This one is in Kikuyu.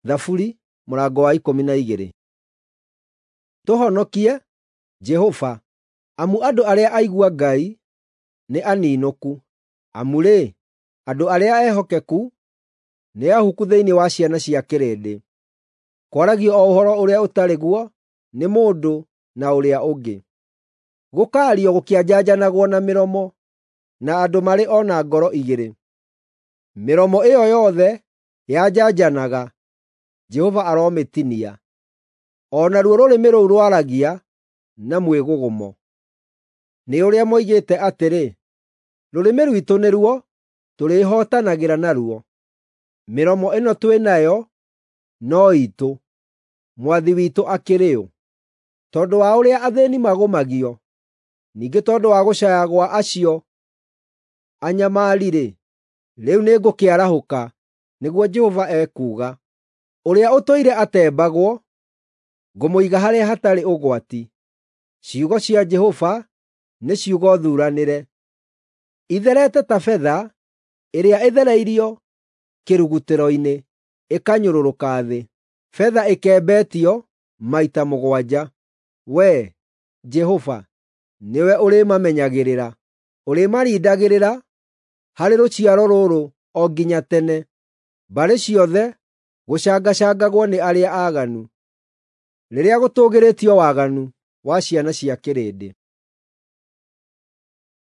Thaburi mũrango wa 12. Tũhonokie, Jehova, amu andũ arĩa aigua Ngai nĩ aniinũku; amu-rĩ, andũ arĩa ehokeku nĩ ahuku thĩinĩ wa ciana cia kĩrĩndĩ. Kwaragio o ũhoro ũrĩa ũtarĩ guo nĩ mũndũ na ũrĩa ũngĩ, gũkaario gũkĩanjanjanagwo na mĩromo, na andũ marĩ o na ngoro igĩrĩ. Mĩromo ĩyo yothe yanjanjanaga, Jehova aromĩtinia, o naruo rũrĩmĩ rũu rwaragia na mwĩgũgũmo. Nĩ ũrĩa moigĩte atĩrĩ, “Rũrĩmĩ rwitũ nĩruo tũrĩĩhootanagĩra naruo; mĩromo ĩno twĩ nayo no iitũ, mwathi witũ akĩrĩ ũ?” Tondũ wa ũrĩa athĩĩni magũmagio, ningĩ tondũ wa gũcaaya gwa acio anyamari-rĩ, rĩu nĩngũkĩarahũka, nĩguo Jehova ekuuga. Ũrĩa ũtũire atembagwo, ngũmũiga harĩa hatarĩ ũgwati. Ciugo cia Jehova nĩ ciugo thuuranĩre, itherete ta betha ĩrĩa ĩthereirio kĩrugutĩro-inĩ ĩkanyũrũrũka thĩ, betha ĩkembetio maita mũgwanja. Wee, Jehova, nĩwe ũrĩmamenyagĩrĩra; ũrĩmarindagĩrĩra harĩ rũciaro rũrũ o nginya tene. Mbarĩ ciothe gũcangacangagwo nĩ arĩa aaganu, rĩrĩa gũtũũgĩrĩtio waganu wa ciana cia kĩrĩndĩ.